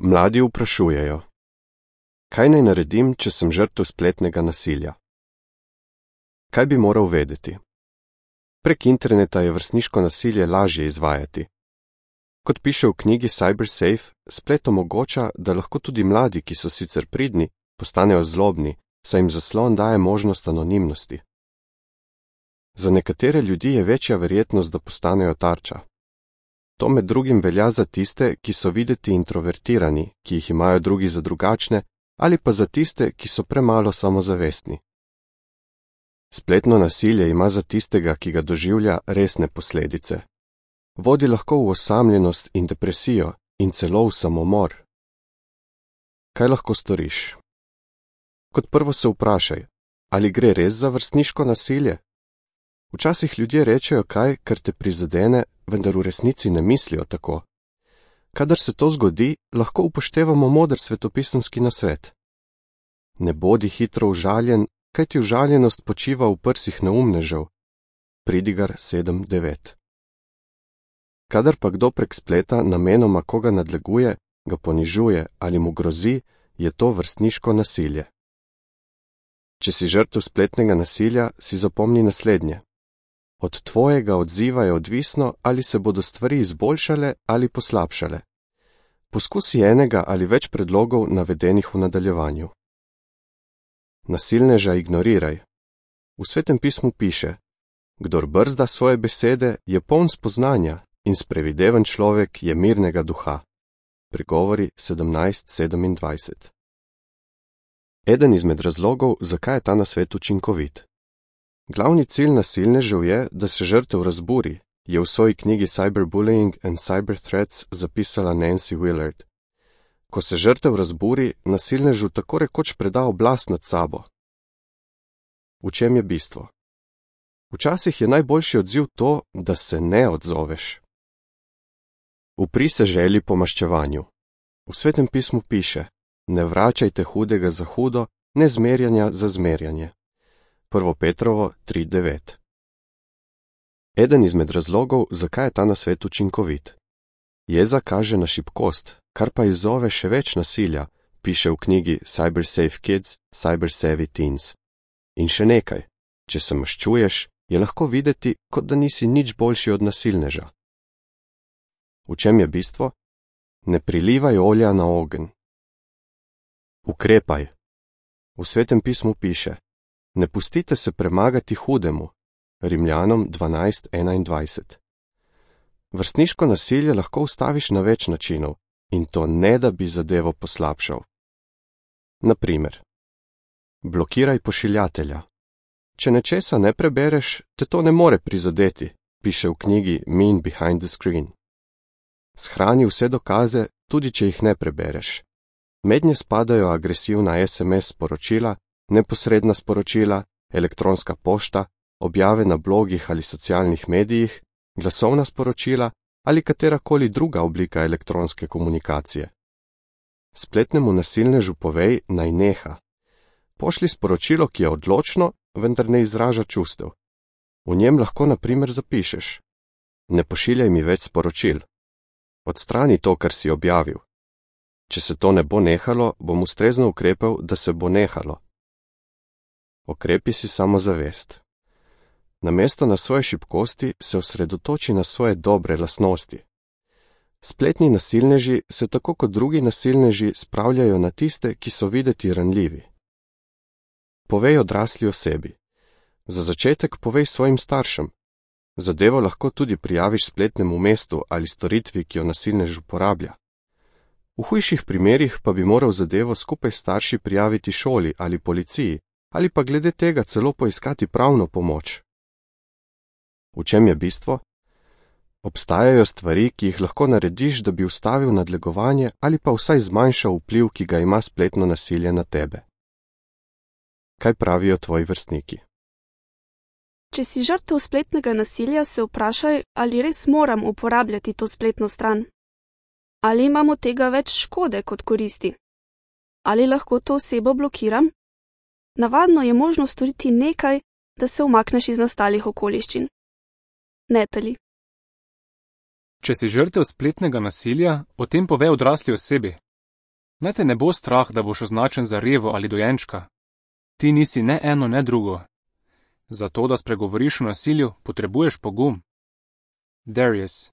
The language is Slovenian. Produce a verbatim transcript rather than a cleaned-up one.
Mladi vprašujejo: kaj naj naredim, če sem žrtev spletnega nasilja? Kaj bi moral vedeti? Prek interneta je vrstniško nasilje lažje izvajati. Kot piše v knjigi CyberSafe, splet omogoča, da lahko tudi mladi, ki so sicer pridni, postanejo zlobni, saj jim zaslon daje možnost anonimnosti. Za nekatere ljudi je večja verjetnost, da postanejo tarča. To med drugim velja za tiste, ki so videti introvertirani, ki jih imajo drugi za drugačne, ali pa za tiste, ki so premalo samozavestni. Spletno nasilje ima za tistega, ki ga doživlja, resne posledice. Vodi lahko v osamljenost in depresijo in celo v samomor. Kaj lahko storiš? Kot prvo se vprašaj, ali gre res za vrstniško nasilje? Včasih ljudje rečejo kaj, kar te prizadene, vendar v resnici ne mislijo tako. Kadar se to zgodi, lahko upoštevamo moder svetopisemski nasvet. Ne bodi hitro užaljen, kajti užaljenost počiva v prsih neumnežev. Pridigar sedem devet. Kadar pa kdo prek spleta namenoma koga nadleguje, ga ponižuje ali mu grozi, je to vrstniško nasilje. Če si žrtev spletnega nasilja, si zapomni naslednje. Od tvojega odziva je odvisno, ali se bodo stvari izboljšale ali poslabšale. Poskusi enega ali več predlogov navedenih v nadaljevanju. Nasilneža ignoriraj. V Svetem pismu piše: kdor brzda svoje besede, je poln spoznanja in sprevideven človek je mirnega duha. Pregovori sedemnajst sedemindvajset. Eden izmed razlogov, zakaj je ta nasvet učinkovit. Glavni cilj nasilnežev je, da se žrtev razburi, je v svoji knjigi Cyberbullying and Cyberthreats zapisala Nancy Willard. Ko se žrtev razburi, nasilnežu tako rekoč preda oblast nad sabo. V čem je bistvo? Včasih je najboljši odziv to, da se ne odzoveš. Upri se želji po maščevanju. V Svetem pismu piše: ne vračajte hudega za hudo, ne zmerjanja za zmerjanje. Prvo Petrovo tri devet. Eden izmed razlogov, zakaj je ta nasvet učinkovit. Jeza kaže na šibkost, kar pa izzove še več nasilja, piše v knjigi CyberSafe Kids, CyberSavvy Teens. In še nekaj, če se maščuješ, je lahko videti, kot da nisi nič boljši od nasilneža. V čem je bistvo? Ne prilivaj olja na ogenj. Ukrepaj. V Svetem pismu piše: ne pustite se premagati hudemu. Rimljanom dvanajst enaindvajset. Vrstniško nasilje lahko ustaviš na več načinov, in to ne, da bi zadevo poslabšal. Na primer, blokiraj pošiljatelja. Če nečesa ne prebereš, te to ne more prizadeti, piše v knjigi Mean Behind the Screen. Shrani vse dokaze, tudi če jih ne prebereš. Mednje spadajo agresivna es em es sporočila, neposredna sporočila, elektronska pošta, objave na blogih ali socialnih medijih, glasovna sporočila ali katerakoli druga oblika elektronske komunikacije. Spletnemu nasilnežu povej, naj neha. Pošli sporočilo, ki je odločno, vendar ne izraža čustev. V njem lahko na primer zapišeš: ne pošiljaj mi več sporočil. Odstrani to, kar si objavil. Če se to ne bo nehalo, bom ustrezno ukrepal, da se bo nehalo. Okrepi si samozavest. Namesto na svoje šibkosti se osredotoči na svoje dobre lastnosti. Spletni nasilneži se tako kot drugi nasilneži spravljajo na tiste, ki so videti ranljivi. Povej odrasli osebi. Za začetek povej svojim staršem. Zadevo lahko tudi prijaviš spletnemu mestu ali storitvi, ki jo nasilnež uporablja. V hujših primerih pa bi moral zadevo skupaj s starši prijaviti šoli ali policiji, ali pa glede tega celo poiskati pravno pomoč. V čem je bistvo? Obstajajo stvari, ki jih lahko narediš, da bi ustavil nadlegovanje ali pa vsaj zmanjšal vpliv, ki ga ima spletno nasilje na tebe. Kaj pravijo tvoji vrstniki? Če si žrtev spletnega nasilja, se vprašaj, ali res moram uporabljati to spletno stran. Ali imamo tega več škode kot koristi? Ali lahko to osebo blokiram? Navadno je možno storiti nekaj, da se umakneš iz nastalih okoliščin. Netali. Če si žrtev spletnega nasilja, o tem povej odrasli osebi. Naj te ne bo strah, da boš označen za revo ali dojenčka. Ti nisi ne eno, ne drugo. Zato, da spregovoriš o nasilju, potrebuješ pogum. Darius.